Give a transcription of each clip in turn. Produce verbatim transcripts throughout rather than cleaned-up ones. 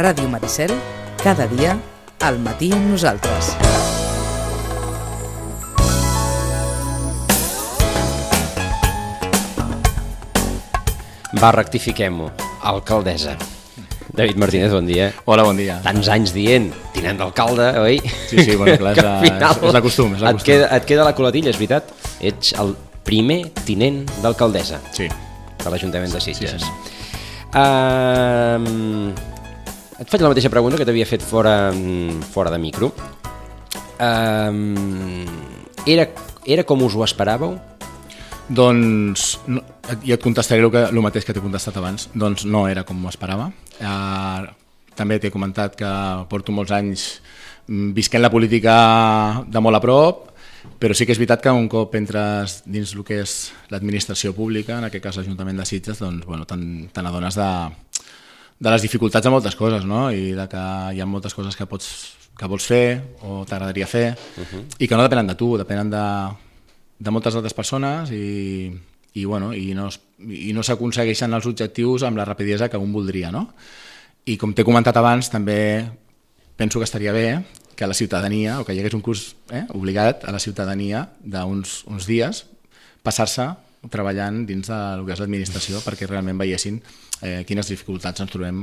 Ràdio Maricel, cada dia, al matí amb nosaltres. Va, rectifiquem-ho. Alcaldessa. David Martínez, bon dia. Hola, bon dia. Tants anys dient, tinent d'alcalde, oi? Sí, sí, bueno, clar, és, la, és, és la costum. És la et, queda, et queda la colatilla, és veritat? Ets el primer tinent d'alcaldessa sí. de l'Ajuntament de Sitges. Sí, sí. Uh, et faig la mateixa pregunta que t'havia fet fora, fora de micro. Uh, era, era com us ho esperàveu? Doncs, no, ja et contestaré el, que, el mateix que t'he contestat abans. Doncs no era com m'ho esperava. Uh, també t'he comentat que porto molts anys visquent la política de molt a prop, però sí que és veritat que un cop entres dins el que és l'administració pública, en aquest cas l'Ajuntament de Sitges, doncs, bueno, te n'adones de, de les dificultats de moltes coses, no? I de que hi ha moltes coses que, pots, que vols fer o t'agradaria fer uh-huh. i que no depenen de tu, depenen de, de moltes altres persones i, i, bueno, i no, i no s'aconsegueixen els objectius amb la rapidesa que un voldria, no? I com t'he comentat abans, també penso que estaria bé que la ciutadania, o que hi hagués un curs eh, obligat a la ciutadania d'uns uns dies, passar-se treballant dins del que és l'administració perquè realment veiessin eh, quines dificultats ens trobem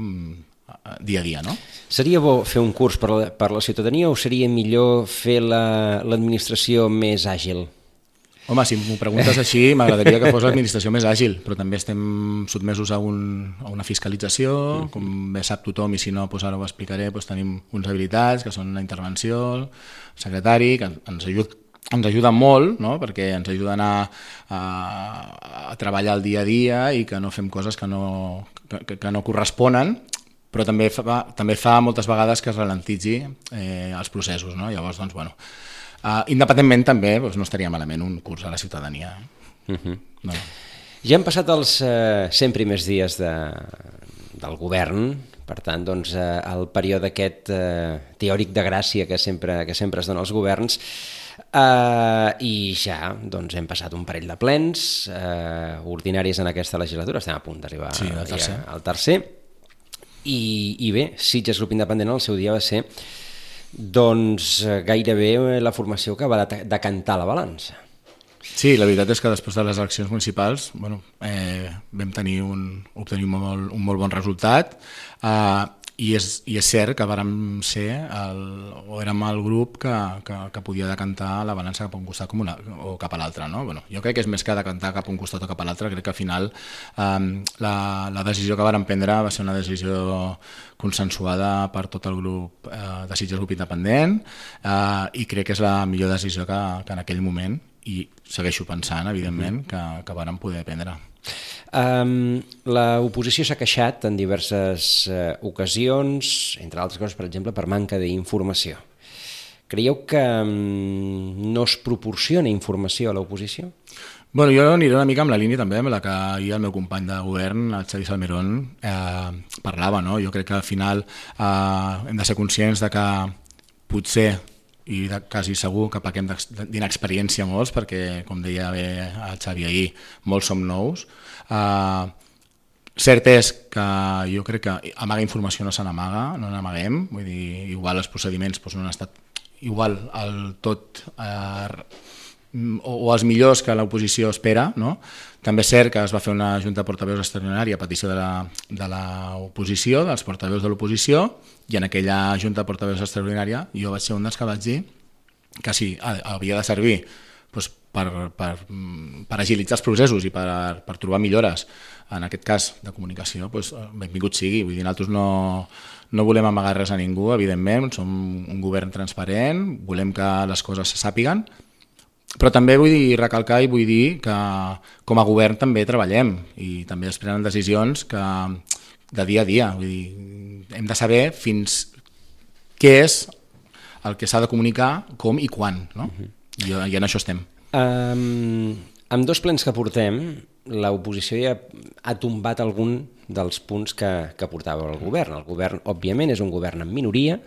dia a dia, no? Seria bo fer un curs per la, per la ciutadania o seria millor fer l'administració la, més àgil? Home, si m'ho preguntes així, m'agradaria que fos l'administració més àgil, però també estem sotmesos a, un, a una fiscalització, mm-hmm. com bé sap tothom, i si no, doncs ara ho explicaré, doncs tenim uns habilitats, que són la intervenció, el secretari, que ens ajuda, ens ajuda molt, no? Perquè ens ajuden a, a, a treballar el dia a dia i que no fem coses que no, que, que no corresponen, però també fa, també fa moltes vegades que es ralentitzi eh, els processos, no? Llavors, doncs, bueno... Uh, independentment també doncs no estaria malament un curs a la ciutadania. Uh-huh. No. Ja han passat els uh, cent primers dies de, del govern, per tant, doncs, uh, el període aquest uh, teòric de gràcia que sempre, que sempre es dona als governs, uh, i ja doncs, hem passat un parell de plens uh, ordinaris en aquesta legislatura, estem a punt d'arribar sí, al tercer, al tercer. I, i bé, Sitges Grup Independent al seu dia va ser doncs gairebé la formació que va decantar la balança. Sí, la veritat és que després de les eleccions municipals bueno, eh, vam tenir un, obtenir un molt, un molt bon resultat eh, i, és, i és cert que vàrem ser el, o érem el grup que, que, que podia decantar la balança cap a un costat com una, o cap a l'altre. No? Bueno, jo crec que és més que decantar cap a un costat o cap a l'altre, crec que al final eh, la, la decisió que vàrem prendre va ser una decisió consensuada per tot el grup eh, de Sitges Grup Independent eh, i crec que és la millor decisió que, que en aquell moment, i segueixo pensant, evidentment, que, que vàrem poder prendre. Um, L'oposició s'ha queixat en diverses uh, ocasions, entre altres coses, per exemple, per manca d'informació. Creieu que um, no es proporciona informació a l'oposició? Bueno, jo aniré una mica amb la línia també amb la que ahir el meu company de govern, el Xavi Salmerón, eh, parlava. No? Jo crec que al final eh, hem de ser conscients de que potser, i de, quasi segur que pequem d'inexperiència molts, perquè, com deia bé el Xavi ahir, molts som nous. Uh, cert és que jo crec que amagar informació no se n'amaga, no n'amaguem, vull dir, igual els procediments doncs, no han estat igual el tot uh, o, o els millors que l'oposició espera, no? També és cert que es va fer una junta de portaveus extraordinària a petició de, la, de l'oposició, dels portaveus de l'oposició, i en aquella junta de portaveus extraordinària jo vaig ser un dels que vaig dir que sí, havia de servir doncs, per, per, per agilitzar els processos i per, per trobar millores, en aquest cas de comunicació, doncs, benvingut sigui. Vull dir, nosaltres no, no volem amagar res a ningú, evidentment, som un govern transparent, volem que les coses se sàpiguen, però també vull dir, recalcar i vull dir que com a govern també treballem i també es prenen decisions que, de dia a dia. Vull dir, hem de saber fins què és el que s'ha de comunicar, com i quan. No? Uh-huh. I, I en això estem. Um, amb dos plens que portem, l'oposició ja ha tombat algun dels punts que, que portava el govern. El govern, òbviament, és un govern en minoria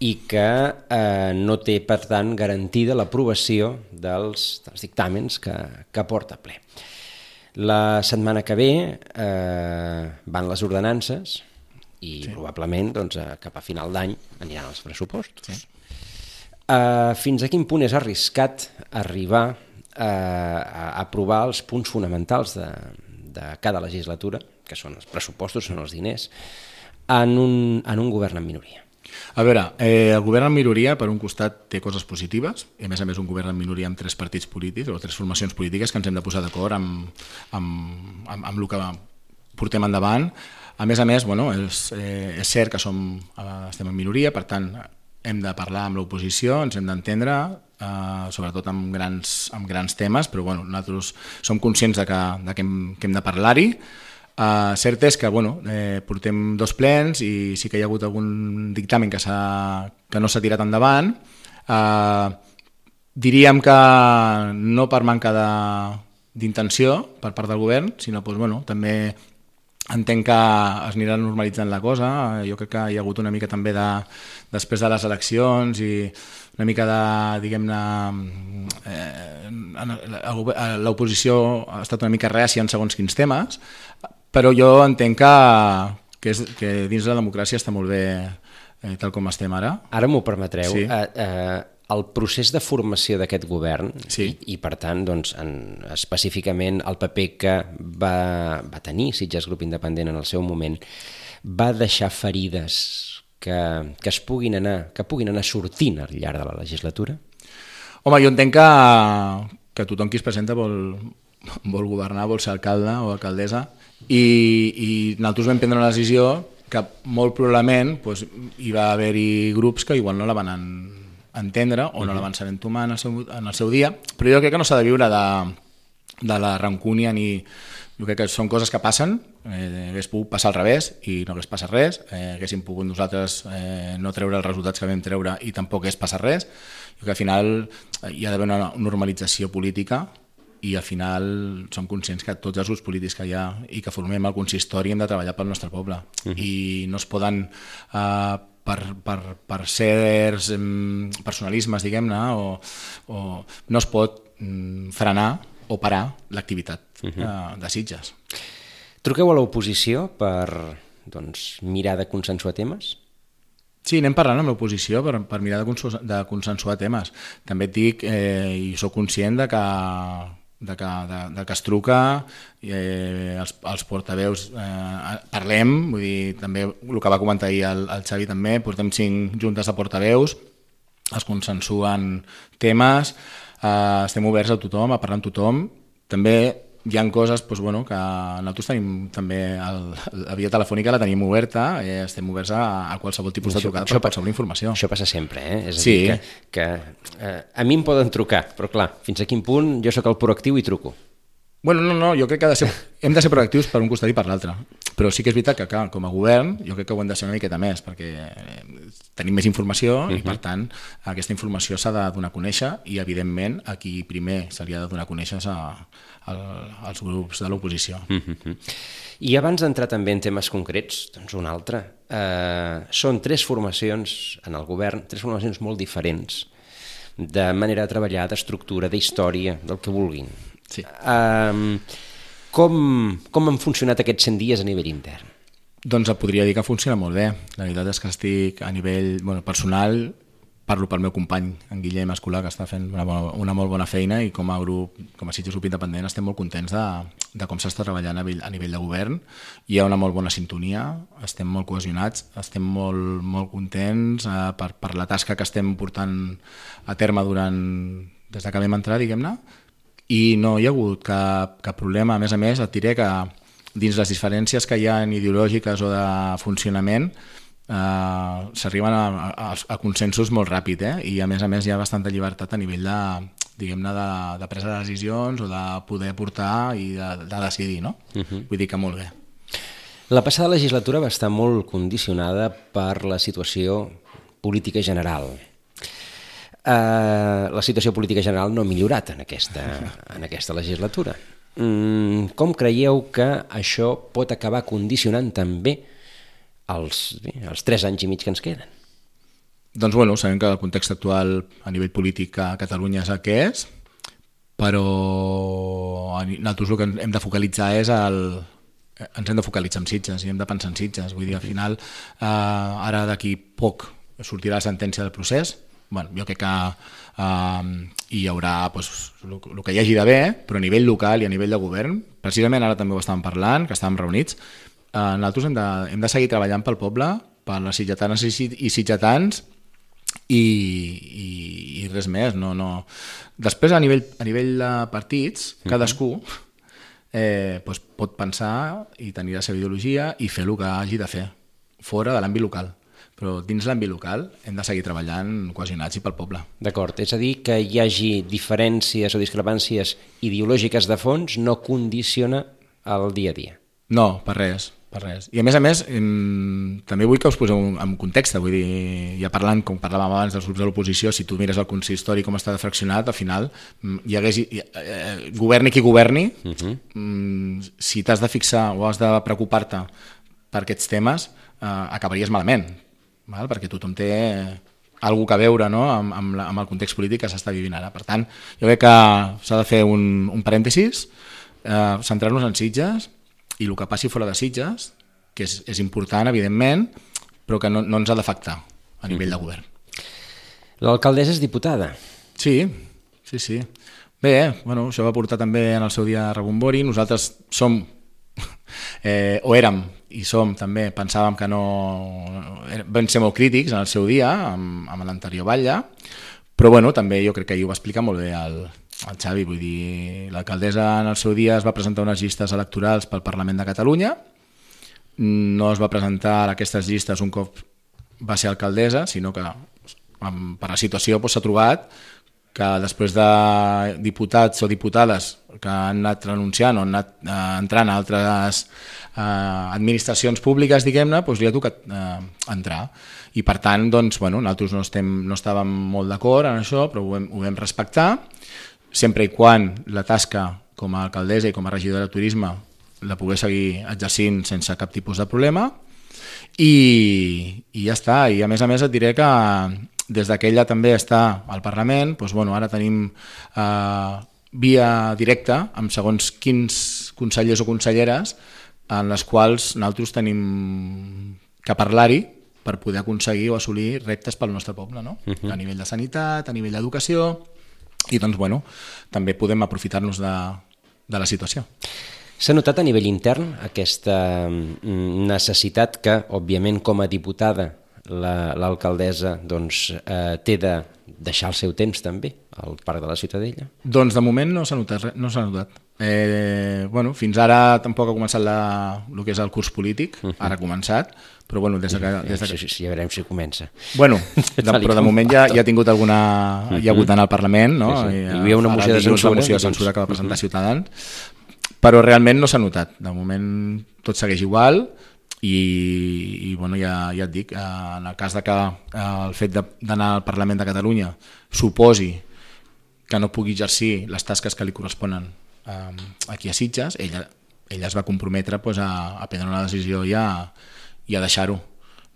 i que eh, no té, per tant, garantida l'aprovació dels, dels dictàmens que, que porta ple. La setmana que ve eh, van les ordenances i sí. probablement doncs, cap a final d'any aniran els pressupostos. Sí. Uh, fins a quin punt és arriscat arribar uh, a aprovar els punts fonamentals de, de cada legislatura, que són els pressupostos, són els diners, en un, en un govern en minoria? A veure, eh, el govern en minoria, per un costat, té coses positives, i a més a més un govern en minoria amb tres partits polítics o tres formacions polítiques que ens hem de posar d'acord amb, amb, amb, amb el que portem endavant. A més a més, bueno, és, eh, és cert que som, estem en minoria, per tant, hem de parlar amb l'oposició, ens hem d'entendre, eh, sobretot amb grans, amb grans temes, però bueno, nosaltres som conscients de que, de que, hem, que hem de parlar-hi. Uh, cert és que bueno, eh, portem dos plens i sí que hi ha hagut algun dictamen que, que no s'ha tirat endavant. Uh, diríem que no per manca d'intenció per part del govern, sinó doncs, bueno, també entenc que es anirà normalitzant la cosa. Jo crec que hi ha hagut una mica també de, després de les eleccions i una mica de, diguem-ne, eh, l'oposició ha estat una mica rècia en segons quins temes, però jo entenc que, que, és, que dins la democràcia està molt bé eh, tal com estem ara. Ara m'ho permetreu. Sí. Eh, eh, el procés de formació d'aquest govern, sí. i, i per tant, doncs, en, específicament el paper que va, va tenir Sitges Grup Independent en el seu moment, va deixar ferides que, que es puguin anar, que puguin anar sortint al llarg de la legislatura? Home, jo entenc que, que tothom qui es presenta vol, vol governar, vol ser alcalde o alcaldessa, i, i nosaltres vam prendre una decisió que molt probablement doncs, hi va haver-hi grups que igual no la van en, entendre o no la van saber entomar en el seu, en el seu dia, però jo crec que no s'ha de viure de, de la rancúnia ni... Jo crec que són coses que passen, eh, hagués pogut passar al revés i no hagués passat res, eh, haguéssim pogut nosaltres eh, no treure els resultats que vam treure i tampoc hagués passat res. Jo crec que al final hi ha d'haver una normalització política i al final som conscients que tots els grups polítics que hi ha i que formem el consistori hem de treballar pel nostre poble. Uh-huh. I no es poden, eh, per, per, per certs personalismes, diguem-ne, o, o no es pot mm, frenar o parar l'activitat uh-huh. de, de Sitges. Truqueu a l'oposició per doncs, mirar de consensuar temes? Sí, anem parlant amb l'oposició per, per mirar de, consensuar, de consensuar temes. També et dic, eh, i soc conscient de que, de que, de, de que es truca, eh, els, els portaveus eh, parlem, vull dir, també el que va comentar ahir el, el Xavi també, portem cinc juntes de portaveus, es consensuen temes, Uh, estem oberts a tothom, a parlar amb tothom. També hi ha coses doncs, bueno, que nosaltres tenim també el, la via telefònica la tenim oberta, eh, estem oberts a, a qualsevol tipus de trucada per qualsevol informació. Això passa sempre, eh? És a sí. dir, que, que eh, a mi em poden trucar, però clar, fins a quin punt jo sóc el proactiu i truco. Bueno, no, no, jo crec que ha de ser, hem de ser proactius per un costat i per l'altre, però sí que és veritat que clar, com a govern jo crec que ho hem de ser una miqueta més perquè tenim més informació uh-huh. i per tant aquesta informació s'ha de donar a conèixer i evidentment a qui primer se li ha de donar a conèixer a, a, als grups de l'oposició. Uh-huh. I abans d'entrar també en temes concrets, doncs un altre, eh, són tres formacions en el govern, tres formacions molt diferents de manera de treballar, d'estructura, d'història, del que vulguin. Sí. Um, com, com han funcionat aquests cent dies a nivell intern? Doncs et podria dir que funciona molt bé. La veritat és que estic a nivell bueno, personal, parlo pel meu company, en Guillem Escolà, que està fent una, bona, una molt bona feina i com a grup, com a Sitges Grup Independent estem molt contents de, de com s'està treballant a nivell, a nivell de govern. Hi ha una molt bona sintonia, estem molt cohesionats, estem molt, molt contents eh, per, per la tasca que estem portant a terme durant, des que vam entrar, diguem-ne, i no hi ha hagut cap, cap problema. A més a més, et diré que dins les diferències que hi ha ideològiques o de funcionament eh, s'arriben a, a, a consensos molt ràpid, eh? I a més a més hi ha bastanta llibertat a nivell de, diguem-ne, de, de presa de decisions o de poder portar i de, de decidir, no? Uh-huh. Vull dir que molt bé. La passada legislatura va estar molt condicionada per la situació política general. Uh, la situació política general no ha millorat en aquesta, en aquesta legislatura. Mm, com creieu que això pot acabar condicionant també els, bé, els tres anys i mig que ens queden? Doncs bueno, sabem que el context actual a nivell polític a Catalunya és el que és, però nosaltres el que hem de focalitzar és el, ens hem de focalitzar en Sitges i hem de pensar en Sitges. Vull dir, al final, eh, ara d'aquí poc sortirà la sentència del procés. Bueno, jo crec que eh, hi haurà pues, el, el que hi hagi d'haver, però a nivell local i a nivell de govern, precisament ara també ho estàvem parlant, que estàvem reunits, eh, nosaltres hem de, hem de seguir treballant pel poble, per les sitgetanes i sitgetans, i, i, i res més. No, no. Després, a nivell, a nivell de partits, cadascú eh, pues, pot pensar i tenir la seva ideologia i fer el que hagi de fer, fora de l'àmbit local. Però dins l'àmbit local hem de seguir treballant cohesionats i pel poble. D'acord, és a dir, que hi hagi diferències o discrepàncies ideològiques de fons no condiciona el dia a dia. No, per res, per res. I a més a més, també vull que us poseu en context, vull dir, ja parlant, com parlàvem abans dels grups de l'oposició, si tu mires el consistori com està fraccionat, al final hi hagués, eh, governi qui governi, uh-huh. si t'has de fixar o has de preocupar-te per aquests temes, eh, acabaries malament. Val? Perquè tothom té alguna que veure, no? amb, amb, la, amb el context polític que s'està vivint ara. Per tant, jo crec que s'ha de fer un, un parèntesis, eh, centrar-nos en Sitges i el que passi fora de Sitges, que és, és important, evidentment, però que no, no ens ha d'afectar a nivell mm. de govern. L'alcaldessa és diputada. Sí, sí, sí. Bé, bueno, això va portar també en el seu dia a rebombori. Nosaltres som, eh, o érem, i som també, pensàvem que no... Vam ser molt crítics en el seu dia, amb, amb l'anterior batlle, però bueno, també jo crec que ahir ho va explicar molt bé el, el Xavi, vull dir, l'alcaldessa en el seu dia es va presentar unes llistes electorals pel Parlament de Catalunya, no es va presentar a aquestes llistes un cop va ser alcaldessa, sinó que per la situació s'ha trobat que després de diputats o diputades que han anat renunciant o han anat eh, entrant a altres eh, administracions públiques, diguem-ne, doncs li ha tocat eh, entrar. I per tant, doncs, bueno, nosaltres no, estem, no estàvem molt d'acord en això, però ho vam, ho vam respectar, sempre i quan la tasca com a alcaldessa i com a regidora de turisme la pogués seguir exercint sense cap tipus de problema, i, i ja està. I a més a més et diré que des que ella també està al Parlament, doncs, bueno, ara tenim eh, via directa amb segons quins consellers o conselleres en les quals nosaltres tenim que parlar-hi per poder aconseguir o assolir reptes pel nostre poble, no? Uh-huh. A nivell de sanitat, a nivell d'educació, i doncs, bueno, també podem aprofitar-nos de, de la situació. S'ha notat a nivell intern aquesta necessitat que, òbviament, com a diputada, l'alcaldessa la, doncs, eh, té de deixar el seu temps també al Parc de la Ciutadella? Doncs de moment no s'ha notat. No s'ha notat. Eh, bueno, fins ara tampoc ha començat la, el que és el curs polític, uh-huh. ara ha començat, però bueno, des de que... Des de que... Sí, sí, ja veurem si comença. Bueno, de, però de moment ja, ja ha tingut alguna... Uh-huh. Hi ha hagut en el Parlament, no? Sí, sí. I, hi havia una moció de censura, una moció de censura que va presentar uh-huh. Ciutadans, però realment no s'ha notat. De moment tot segueix igual, i, i bueno, ja, ja et dic, en el cas de que el fet d'anar al Parlament de Catalunya suposi que no pugui exercir les tasques que li corresponen um, aquí a Sitges, ella, ella es va comprometre pues, a, a prendre una decisió i a, i a deixar-ho.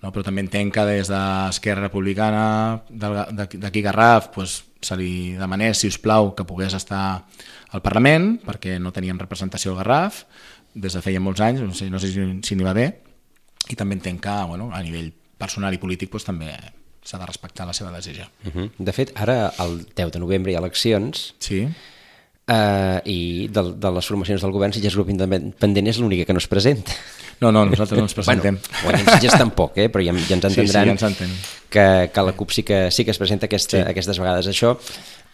No? Però també entenc que des d'Esquerra Republicana, d'aquí Garraf, pues, se li demanés, si us plau, que pogués estar al Parlament, perquè no teníem representació al Garraf, des de feia molts anys, no sé, no sé si, si n'hi va bé, i també entenc que bueno, a nivell personal i polític doncs, també s'ha de respectar la seva decisió. Uh-huh. De fet, ara el deu de novembre hi ha eleccions, sí. eh, i de, de les formacions del govern, Sitges Grup Independent és l'única que no es presenta. No, no, nosaltres no ens presentem. Bueno, bueno Sitges tampoc, eh? Però ja, ja ens entendran sí, sí, ja ens que, que la CUP sí que, sí que es presenta aquesta, sí. aquestes vegades. Això,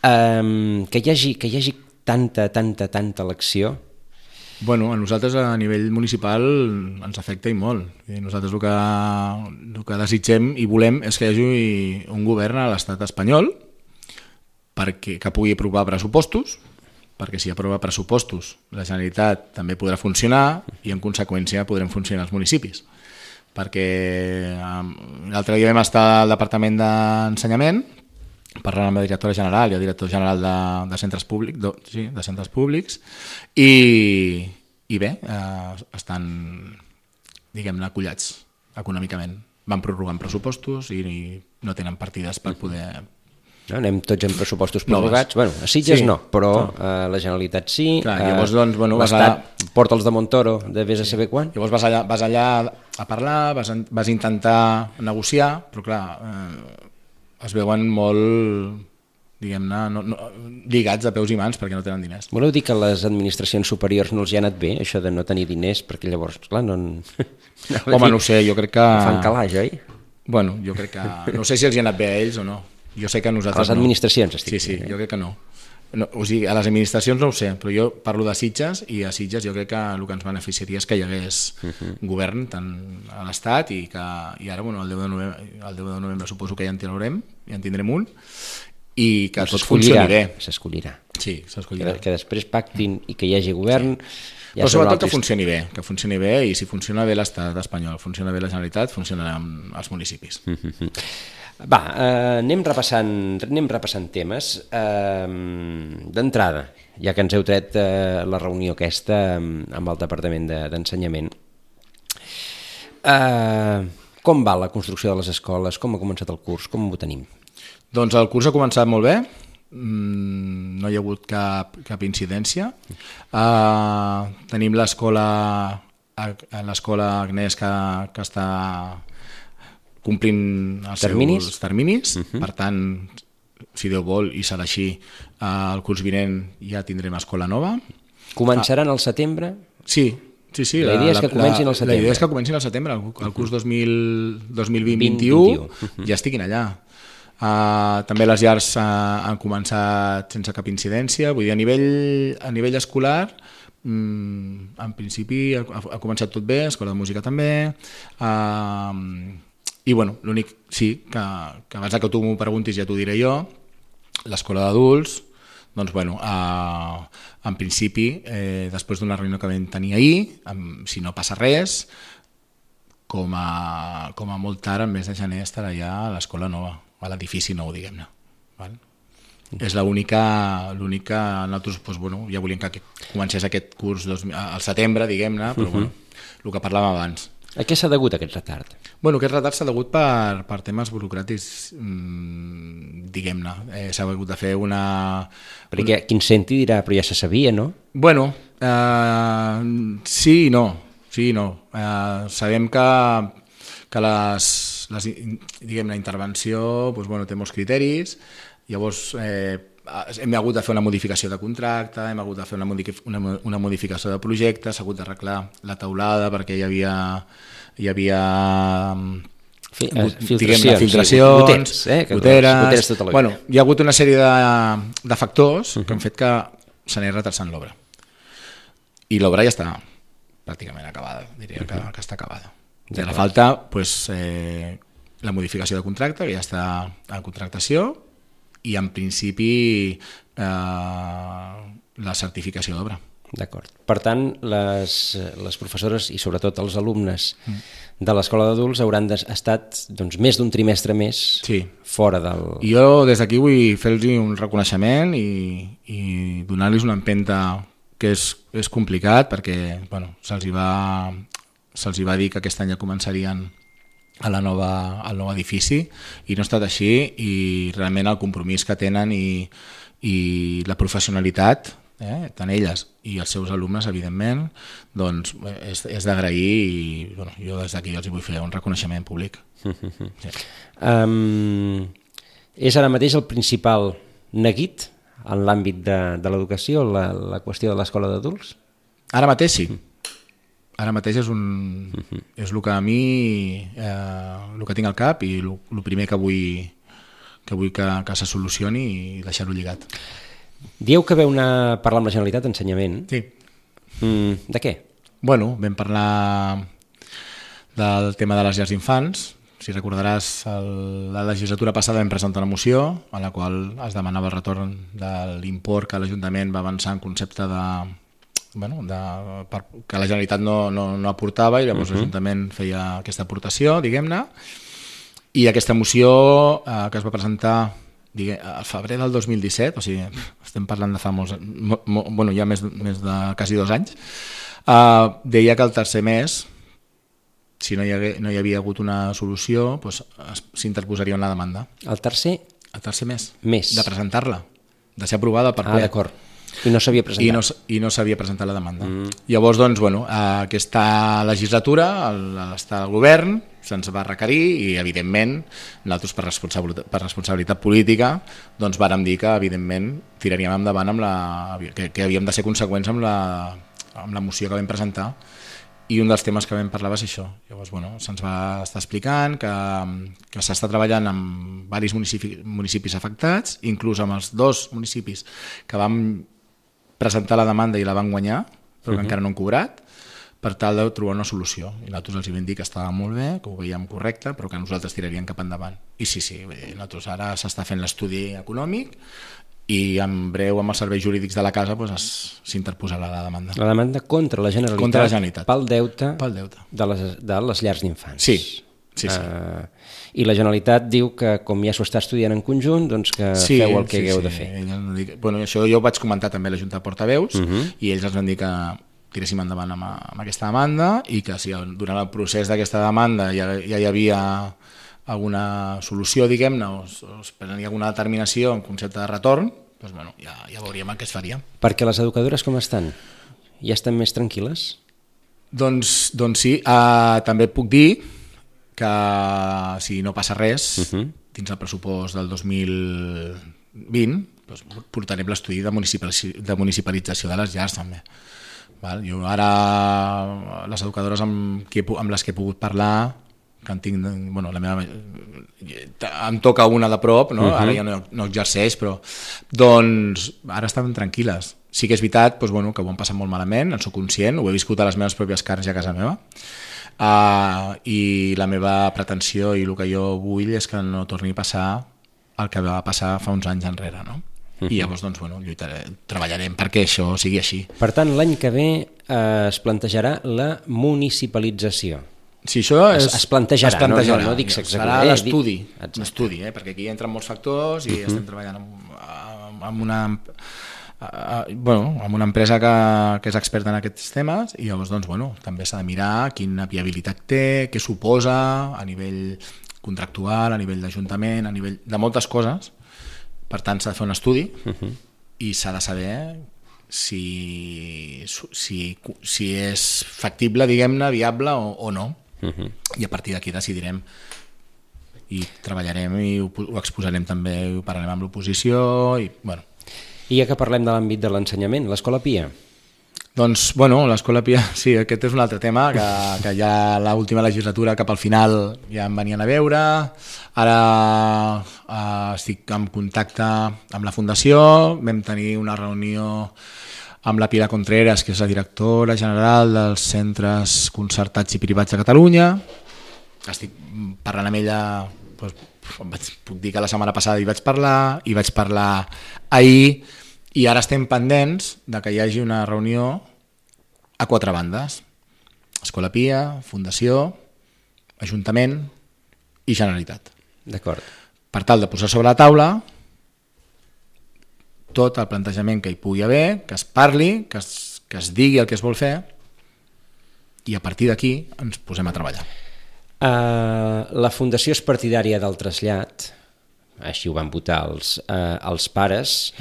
eh, que, hi hagi, que hi hagi tanta, tanta, tanta elecció. Bueno, a nosaltres a nivell municipal ens afecta i molt. Nosaltres el que, el que desitgem i volem és que hi hagi un govern a l'estat espanyol perquè, que pugui aprovar pressupostos, perquè si aprova pressupostos la Generalitat també podrà funcionar i en conseqüència podrem funcionar els municipis. Perquè l'altre dia vam estar al Departament d'Ensenyament parlant amb la directora general i el director general de, de, centres, públic, de, sí, de centres públics i, i bé, eh, estan diguem-ne acollats econòmicament. Van prorrogant pressupostos i, i no tenen partides per poder No? Anem tots en pressupostos prorrogats. Bueno, a Sitges Sí. no, però a la Generalitat sí. Clar, llavors, doncs, bueno, vas l'Estat porta els de Montoro de vés a saber quan. Llavors vas allà, vas allà a parlar, vas, vas intentar negociar, però clar, eh, es veuen molt, diguem-ne, no, no, lligats de peus i mans perquè no tenen diners. Voleu dir que a les administracions superiors no els hi ha anat bé, això de no tenir diners, perquè llavors, clar, no... Home, no ho sé, jo crec que... Fan calaix, oi? Bueno, jo crec que... No sé si els hi ha anat bé a ells o no. Jo sé que a A nosaltres les administracions, no. estic Sí, sí, dient, eh? jo crec que no. no. O sigui, a les administracions no ho sé, però jo parlo de Sitges i a Sitges jo crec que el que ens beneficiaria és que hi hagués uh-huh. govern tant a l'Estat i que i ara, bueno, el deu de novembre, el deu de novembre suposo que ja en tindrem, ja en tindrem un i que tot funcioni bé. S'escollirà. Sí, s'escollirà. Que, que després pactin i que hi hagi govern... Sí. Ja però sobretot que altres... funcioni bé, que funcioni bé i si funciona bé l'Estat espanyol, funciona bé la Generalitat, funcionaran els municipis. Uh-huh. Va, eh, anem, repassant, anem repassant temes. Eh, D'entrada, ja que ens heu tret eh, la reunió aquesta amb, amb el Departament de, d'Ensenyament, eh, com va la construcció de les escoles? Com ha començat el curs? Com ho tenim? Doncs el curs ha començat molt bé, no hi ha hagut cap, cap incidència. Uh, tenim l'escola l'escola Agnès que, que està complint els terminis? seus terminis, uh-huh. per tant, si Déu vol i serà així, uh, el curs vinent ja tindrem escola nova. Començaran al setembre? Sí, sí, sí. La idea la, és que comencin al setembre. La idea és que comencin al setembre, el, el curs dos mil vint vint u uh-huh. ja estiguin allà. Uh, també les llars uh, han començat sense cap incidència, vull dir, a nivell, a nivell escolar, um, en principi ha, ha començat tot bé, escola de música també, uh, i bueno, l'únic, sí, que, que abans que tu m'ho preguntis ja t'ho diré jo, l'escola d'adults, doncs bueno, uh, en principi, eh, després d'una reunió que vam tenir ahir, um, si no passa res, com a, com a molt tard, el mes de gener estarà ja a l'escola nova, a l'edifici nou, diguem-ne. Val? Mm. És l'única, l'única, nosaltres doncs, bueno, ja volíem que comencés aquest curs dos, al setembre, diguem-ne, però uh-huh. bueno, el que parlàvem abans. A què s'ha degut aquest retard? Bueno, aquest retard s'ha degut per, per temes burocràtics, mmm, diguem-ne. Eh, s'ha hagut de fer una... Perquè qui en senti dirà, però ja se sabia, no? Bueno, eh, sí i no. Sí i no. Eh, sabem que, que les... Les, diguem, la intervenció doncs, bueno, té molts criteris, llavors eh, hem hagut de fer una modificació de contracte, hem hagut de fer una, modific una, una modificació de projecte, s'ha hagut d'arreglar la teulada perquè hi havia, hi havia Fi, eh, filtracions, filtracions sí, goteres, eh, goteres, goteres tota la bueno, hi ha hagut una sèrie de, de factors uh-huh. que han fet que se n'hi retrasant l'obra. I l'obra ja està pràcticament acabada, diria uh-huh. que, que està acabada. I ara falta pues, eh, la modificació de contracte, que ja està en contractació, i en principi eh, la certificació d'obra. D'acord. Per tant, les, les professores i sobretot els alumnes mm. de l'escola d'adults hauran estat doncs, més d'un trimestre més sí. fora del... I jo des d'aquí vull fer-los un reconeixement i, i donar-los una empenta que és, és complicat perquè bueno, se'ls hi va... se'ls va dir que aquest any ja començarien a la nova, al nou edifici i no ha estat així i realment el compromís que tenen i, i la professionalitat, eh, tant elles i els seus alumnes, evidentment, doncs és, és d'agrair i bueno, jo des d'aquí els vull fer un reconeixement públic. Sí. Um, és ara mateix el principal neguit en l'àmbit de, de l'educació, la, la qüestió de l'escola d'adults? Ara mateix sí. Ara mateix és, un, uh-huh. és el que a mi, eh, el que tinc al cap i el, el primer que vull que, vull que, que se solucioni i deixar-ho lligat. Dieu que veu una, parlar amb la Generalitat d'Ensenyament. Sí. Mm, de què? Bueno, vam parlar del tema de les llars d'infants. Si recordaràs, el, la legislatura passada vam presentar una moció en la qual es demanava el retorn de l'import que l'Ajuntament va avançar en concepte de... Bueno, de, per, que la Generalitat no, no, no aportava i llavors uh-huh. l'Ajuntament feia aquesta aportació, diguem-ne, i aquesta moció eh, que es va presentar diguem, al febrer del dos mil disset, o sigui, estem parlant de fa molts, mo, mo, bueno, ja més, més de quasi dos anys, eh, deia que el tercer mes, si no hi, hagué, no hi havia hagut una solució, doncs, s'interposaria una demanda. El tercer El tercer mes. Més. De presentar-la, de ser aprovada per ple. Ah, d'acord. I no s'havia presentat. I no, i no s'havia presentat la demanda. Mm. Llavors, doncs, bueno, aquesta legislatura, l'estat del govern, se'ns va requerir i, evidentment, nosaltres per responsabilitat, per responsabilitat política, doncs vàrem dir que, evidentment, tiraríem endavant amb la, que, que havíem de ser conseqüents amb la, amb la moció que vam presentar, i un dels temes que vam parlar va ser això. Llavors, bueno, se'ns va estar explicant que, que s'està treballant amb diversos municipis, municipis afectats, inclús amb els dos municipis que vam presentar la demanda i la van guanyar, però que uh-huh. encara no han cobrat, per tal de trobar una solució. I nosaltres els vam dir que estava molt bé, que ho veiem correcte, però que nosaltres tiraríem cap endavant. I sí, sí, nosaltres ara s'està fent l'estudi econòmic i en breu amb els serveis jurídics de la casa doncs, s'interposarà la demanda. La demanda contra la Generalitat, contra la Generalitat. pel deute, pel deute. De, les, de les llars d'infants. Sí, sí, sí. Uh, I la Generalitat diu que com ja s'ho està estudiant en conjunt, doncs que sí, feu el que sí, hagueu sí. de fer. Ell, bueno, això jo ho vaig comentar també a la Junta de Portaveus uh-huh. i ells ens van dir que tiréssim endavant amb, amb aquesta demanda i que si durant el procés d'aquesta demanda ja, ja hi havia alguna solució, diguem-ne, o, o es prenia alguna determinació en concepte de retorn, doncs, bueno, ja, ja veuríem el que es faria. Perquè les educadores com estan? Ja estan més tranquil·les? Doncs, doncs sí, uh, també puc dir que si no passa res, uh-huh. dins el pressupost del dos mil vint, doncs portarem l'estudi de, de municipalització de les llars també. Val? Jo ara, les educadores amb, qui, amb les que he pogut parlar, que en tinc, bueno, la meva, em toca una de prop, no? Uh-huh. Ara ja no, no exerceix, però doncs ara estan tranquil·les. Sí que és veritat doncs, bueno, que ho han passat molt malament, en soc conscient, ho he viscut a les meves pròpies carns a casa meva, uh, i la meva pretensió i el que jo vull és que no torni a passar el que va passar fa uns anys enrere, no? I llavors doncs, bueno, lluitaré, treballarem perquè això sigui així. Per tant, l'any que ve eh, es plantejarà la municipalització. Sí, això és, es, es plantejarà, es plantejarà. No, no, no dic serà eh, l'estudi, l'estudi eh, perquè aquí entren molts factors i uh-huh. estem treballant amb, amb, una, uh, bueno, amb una empresa que, que és experta en aquests temes i llavors doncs, bueno, també s'ha de mirar quina viabilitat té, què suposa a nivell contractual, a nivell d'ajuntament, a nivell de moltes coses. Per tant, s'ha de fer un estudi uh-huh. i s'ha de saber si, si, si és factible, diguem-ne, viable o, o no. Uh-huh. I a partir d'aquí decidirem i treballarem i ho, ho exposarem també, ho parlarem amb l'oposició. I, bueno. I ja que parlem de l'àmbit de l'ensenyament, l'Escola Pia? Doncs, bueno, l'Escola Pia, sí, aquest és un altre tema, que, que ja l'última legislatura cap al final ja em venien a veure, ara eh, estic en contacte amb la Fundació, vam tenir una reunió amb la Pilar Contreras, que és la directora general dels centres concertats i privats de Catalunya, estic parlant amb ella, doncs, puc dir que la setmana passada hi vaig parlar, hi vaig parlar ahir, i ara estem pendents de que hi hagi una reunió a quatre bandes: Escola Pia, Fundació, Ajuntament i Generalitat. D'acord. Per tal de posar sobre la taula tot el plantejament que hi pugui haver, que es parli, que es, que es digui el que es vol fer i a partir d'aquí ens posem a treballar. Uh, la Fundació és partidària del trasllat, així ho van votar els, uh, els pares.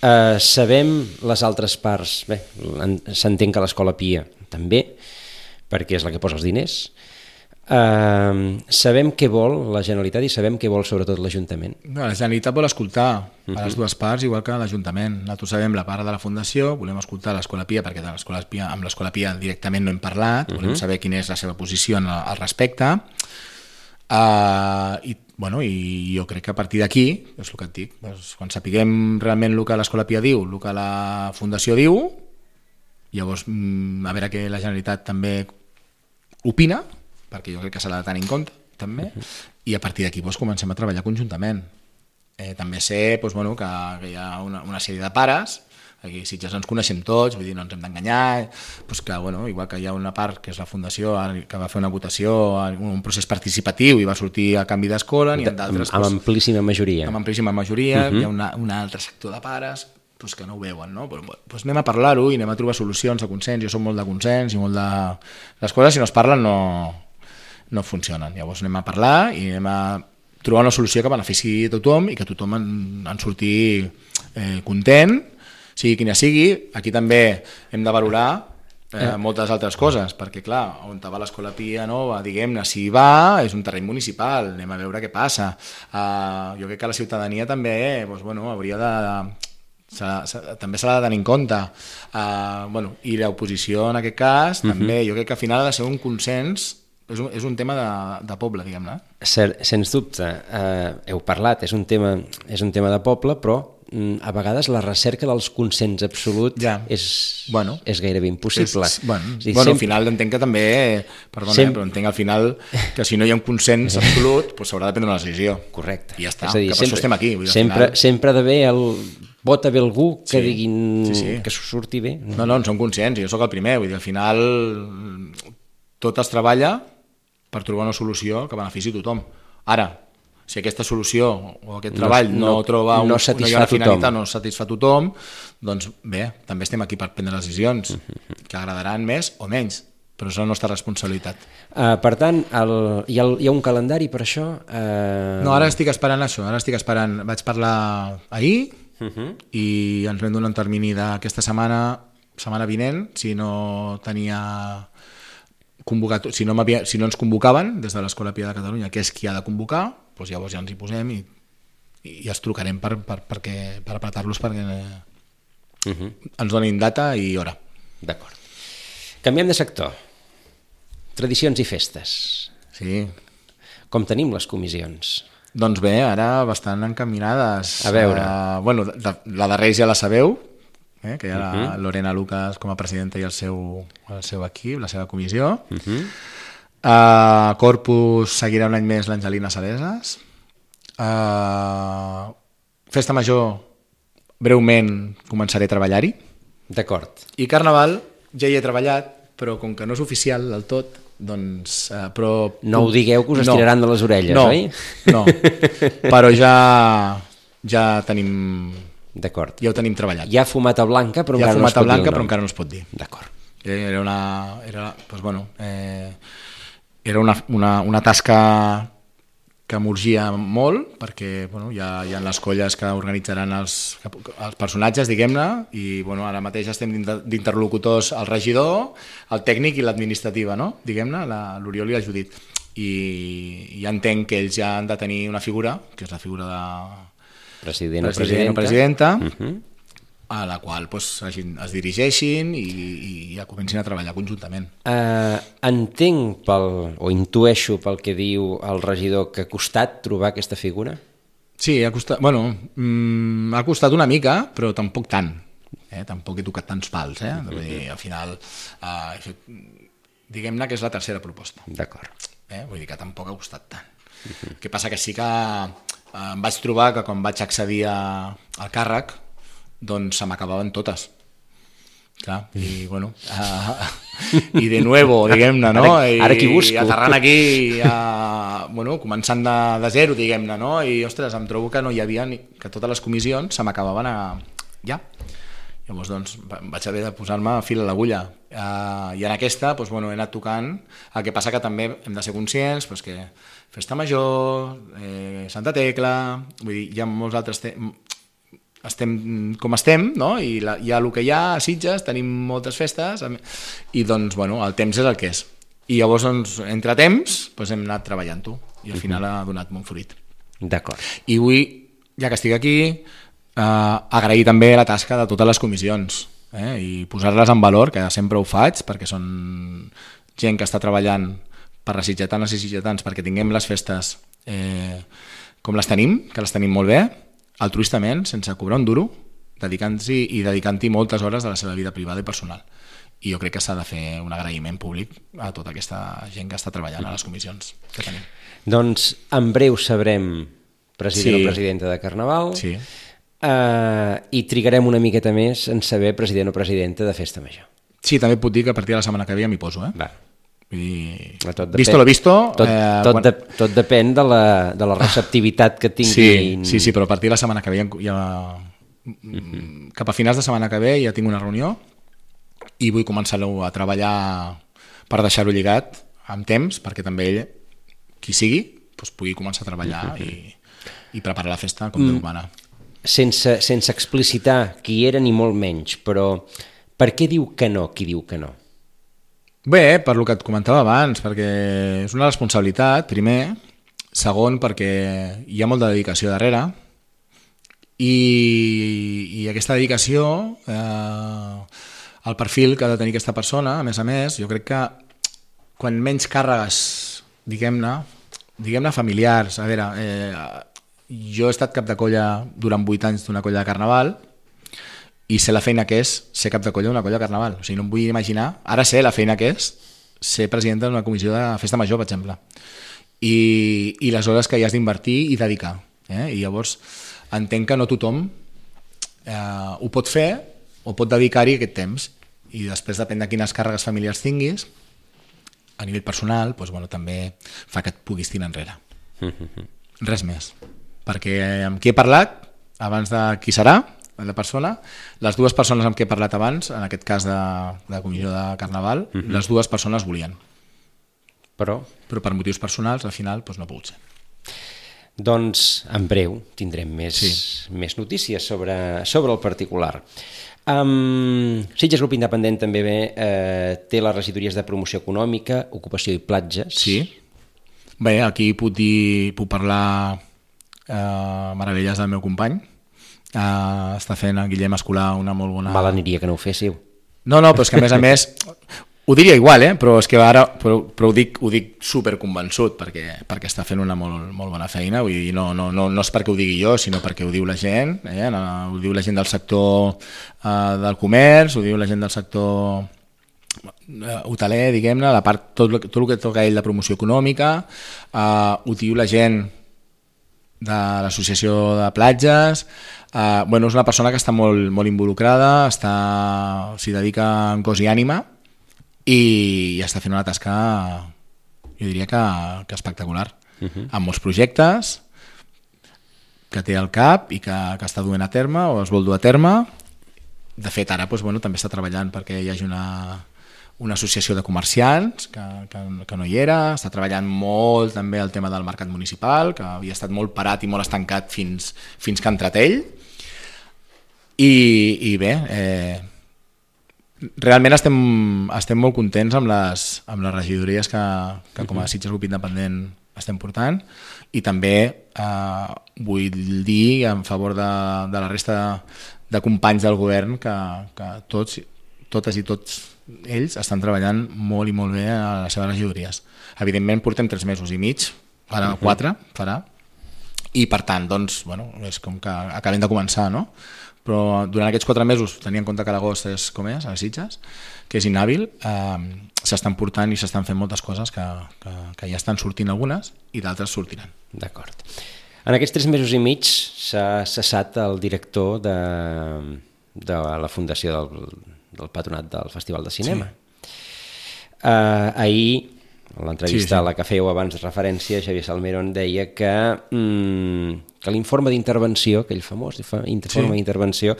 Uh, sabem les altres parts, bé, s'entén que l'Escola Pia també, perquè és la que posa els diners. Uh, sabem què vol la Generalitat i sabem què vol sobretot l'Ajuntament. La Generalitat vol escoltar a les dues parts igual que l'Ajuntament. Nosaltres sabem la part de la Fundació, volem escoltar l'Escola Pia perquè de l'Escola Pia, amb l'Escola Pia directament no hem parlat, volem saber quina és la seva posició al respecte. Uh, i, bueno, i jo crec que a partir d'aquí és el que et dic, doncs, quan sapiguem realment el que l'Escola Pia diu, el que la Fundació diu, llavors a veure què la Generalitat també opina, perquè jo crec que s'ha de tenir en compte també, i a partir d'aquí doncs, comencem a treballar conjuntament. Eh, també sé doncs, bueno, que, que hi ha una, una sèrie de pares, aquí a Sitges ens coneixem tots, vull dir, no ens hem d'enganyar, doncs que, bueno, igual que hi ha una part que és la Fundació que va fer una votació, un procés participatiu i va sortir a canvi d'escola, n'hi ha d'altres... Amb, amb amplíssima majoria. Amb amplíssima majoria, uh-huh. Hi ha una, un altre sector de pares doncs, que no ho veuen, no? Però, doncs anem a parlar-ho i anem a trobar solucions de consens, jo soc molt de consens i molt de... Les coses, si no es parlen, no, no funcionen. Llavors anem a parlar i anem a trobar una solució que benefici a tothom i que tothom en, en surti eh, content, sigui quina sigui. Aquí també hem de valorar eh, moltes altres coses, perquè clar, on va l'Escola Pia Nova, diguem-ne, si hi va, és un terreny municipal, anem a veure què passa. Uh, jo crec que la ciutadania també eh, doncs, bueno, hauria de... S'ha, s'ha, també s'ha de tenir en compte uh, bueno, i l'oposició en aquest cas uh-huh. també, jo crec que al final ha de ser un consens, és un, és un tema de, de poble, diguem-ne. Sens dubte, eh, heu parlat, és un tema, és un tema de poble, però mm, a vegades la recerca dels consens absolut ja. és, bueno, és gairebé impossible. És, bueno, dir, bueno sempre... al final entenc que també, perdona, sempre... però entenc al final que si no hi ha un consens absolut pues s'haurà de prendre una decisió. Correcte. I ja està, dir, que per sempre, això estem aquí. Vull dir, sempre, final... sempre ha d'haver el... vota bé algú que sí, diguin sí, sí. que s'ho surti bé. No, no, en som conscients, jo sóc el primer, vull dir, al final tot es treballa per trobar una solució que benefici a tothom. Ara, si aquesta solució o aquest treball no, no, no troba un, no satisfà una finalitat, tothom. no satisfà tothom, doncs bé, també estem aquí per prendre decisions uh-huh. que agradaran més o menys, però és la nostra responsabilitat. Uh, per tant, el, hi, ha, hi ha un calendari per això? Uh... No, ara estic esperant això, ara estic esperant, vaig parlar ahir, Uh-huh. i ens vam donar un termini d'aquesta setmana setmana vinent, si no tenia convocat, si no, si no ens convocaven des de l'Escola Pia de Catalunya, que és qui ha de convocar, doncs llavors ja ens hi posem i, i els trucarem per, per, perquè, per apretar-los perquè uh-huh. ens donin data i hora. D'acord. Canviem de sector. Tradicions i festes. Sí. Com tenim les comissions? Doncs bé, ara bastant encaminades. A veure. Uh, bueno, de, la de Reis ja la sabeu, eh, que hi ha la uh-huh. Lorena Lucas com a presidenta i el seu, el seu equip, la seva comissió. Uh-huh. Uh, Corpus seguirà un any més l'Angelina Sareses. Uh, Festa Major, breument començaré a treballar-hi. D'acord. I Carnaval ja hi he treballat, però com que no és oficial del tot, doncs, eh, però... No ho digueu que us no, estiraran de les orelles, no, oi? No, però ja ja tenim... D'acord. Ja ho tenim treballat. Hi ha fumata blanca, però ja encara no es pot blanca, dir el nom. però encara no es pot dir. D'acord. Era una... Era, doncs, bueno, eh, era una, una, una tasca que m'urgia molt, perquè bueno, hi, ha, hi ha les colles que organitzaran els, els personatges, diguem-ne, i bueno, ara mateix estem d'interlocutors el regidor, el tècnic i l'administrativa, no? Diguem-ne, l'Oriol i la Judit. I ja entenc que ells ja han de tenir una figura, que és la figura de president o president o presidenta, uh-huh. a la qual pues, es dirigeixin i, i ja comencin a treballar conjuntament. Uh, entenc pel, o intueixo pel que diu el regidor que ha costat trobar aquesta figura? Sí, ha costat, bueno, mm, ha costat una mica, però tampoc tant. Eh? Tampoc he tocat tants pals. Eh? Uh-huh. Dir, al final, uh, he fet, diguem-ne que és la tercera proposta. D'acord. Eh? Vull dir que tampoc ha costat tant. Uh-huh. El que passa que sí que uh, em vaig trobar que quan vaig accedir a, al càrrec doncs se m'acabaven totes. Clar, i bueno, uh, i de nuevo, diguem-ne, no? Ara, ara qui busco. I aterrant aquí, uh, bueno, començant de, de zero, diguem-ne, no? I, ostres, em trobo que no hi havia, ni, que totes les comissions se m'acabaven a... ja. Llavors, doncs, vaig haver de posar-me a fil a l'agulla. Uh, I en aquesta, doncs, bueno, he anat tocant. El que passa que també hem de ser conscients doncs, que Festa Major, eh, Santa Tecla, vull dir, hi ha molts altres... Te- estem com estem, no? I la, hi ha el que hi ha a Sitges, tenim moltes festes, i doncs, bueno, el temps és el que és. I llavors, doncs, entre temps, doncs hem anat treballant-ho, i al final ha donat molt fruit. D'acord. I vull, ja que estic aquí, eh, agrair també la tasca de totes les comissions, eh? I posar-les en valor, que sempre ho faig, perquè són gent que està treballant per les sitgetanes i sitgetans, perquè tinguem les festes eh, com les tenim, que les tenim molt bé, altruistament, sense cobrar un duro, dedicant-s'hi i dedicant-hi moltes hores de la seva vida privada i personal. I jo crec que s'ha de fer un agraïment públic a tota aquesta gent que està treballant a les comissions que tenim. Doncs en breu sabrem president sí. o presidenta de Carnaval sí. uh, i trigarem una miqueta més en saber president o presidenta de Festa Major. Sí, també puc dir que a partir de la setmana que ve ja m'hi poso. Eh? Va. I... Tot visto lo visto tot, eh, tot, quan... de, tot depèn de la, de la receptivitat que tinguin. Sí, sí, sí, però a partir de la setmana que ve ja, ja... Uh-huh. Cap a finals de setmana que ve ja tinc una reunió i vull començar-ho a treballar per deixar-ho lligat amb temps, perquè també ell, qui sigui, doncs, pugui començar a treballar i, i preparar la festa com Déu mana. Sense, sense explicitar qui era ni molt menys, però per què diu que no qui diu que no? Bé, per lo que et comentava abans, perquè és una responsabilitat, primer, segon, perquè hi ha molta dedicació darrere, i, i aquesta dedicació, eh, el perfil que ha de tenir aquesta persona, a més a més, jo crec que quan menys càrregues, diguem-ne, diguem-ne familiars, a veure, eh, jo he estat cap de colla durant vuit anys d'una colla de carnaval i sé la feina que és ser cap de colla d'una colla de carnaval. O sigui, no em vull imaginar, ara sé la feina que és ser presidenta d'una comissió de festa major, per exemple. I, i les hores que hi has d'invertir i dedicar. Eh? I llavors entenc que no tothom eh, ho pot fer o pot dedicar-hi aquest temps. I després depèn de quines càrregues familiars tinguis, a nivell personal, doncs, bueno, també fa que et puguis tirar enrere. Res més. Perquè amb qui he parlat, abans de qui serà, la persona, les dues persones amb qui he parlat abans, en aquest cas de, de comissió de carnaval, uh -huh. les dues persones volien. Però? Però per motius personals, al final, doncs no ha pogut ser. Doncs, en breu, tindrem més, sí. més notícies sobre, sobre el particular. Um, Sitges Grup Independent també bé, eh, té les regidories de promoció econòmica, ocupació i platges. Sí. Bé, aquí puc dir, puc parlar eh, meravelles del meu company. Eh, està fent en Guillem Escolà una molt bona... Mal aniria que no ho féssiu. No, no, però és que a més a més... Ho diria igual, eh? però és que ara però, però ho dic, ho dic superconvençut perquè, perquè està fent una molt, molt bona feina. Vull dir, no, no, no, no és perquè ho digui jo, sinó perquè ho diu la gent, eh? Ho diu la gent del sector eh, del comerç, ho diu la gent del sector eh, hoteler, diguem-ne, la part, tot, tot el que toca ell de promoció econòmica, eh, ho diu la gent de l'associació de platges. Eh, bueno, és una persona que està molt, molt involucrada, està, s'hi dedica en cos i ànima, i està fent una tasca, jo diria que, que espectacular, uh-huh. amb molts projectes que té al cap i que, que està duent a terme o es vol dur a terme. De fet, ara doncs, bueno, també està treballant perquè hi hagi una, una associació de comerciants que, que, que no hi era, està treballant molt també el tema del mercat municipal, que havia estat molt parat i molt estancat fins, fins que ha entrat ell. I, i bé... Eh, realment estem, estem molt contents amb les, amb les regidories que, que com a Sitges Grup Independent estem portant, i també eh, vull dir en favor de, de la resta de companys del govern que, que tots, totes i tots ells estan treballant molt i molt bé a les seves regidories. Evidentment portem tres mesos i mig, ara quatre farà, i per tant doncs, bueno, és com que acabem de començar, no? Però durant aquests quatre mesos, tenint en compte que l'agost és com és, a les Sitges, que és inhàbil, eh, s'estan portant i s'estan fent moltes coses que, que, que ja estan sortint algunes i d'altres sortiran. D'acord. En aquests tres mesos i mig s'ha cessat el director de, de la fundació del, del patronat del Festival de Cinema. Sí. Eh, ahir, en l'entrevista sí, sí. a la que fèieu abans de referència, Xavier Salmerón deia que... Mm, que l'informe d'intervenció, aquell famós informe sí. d'intervenció,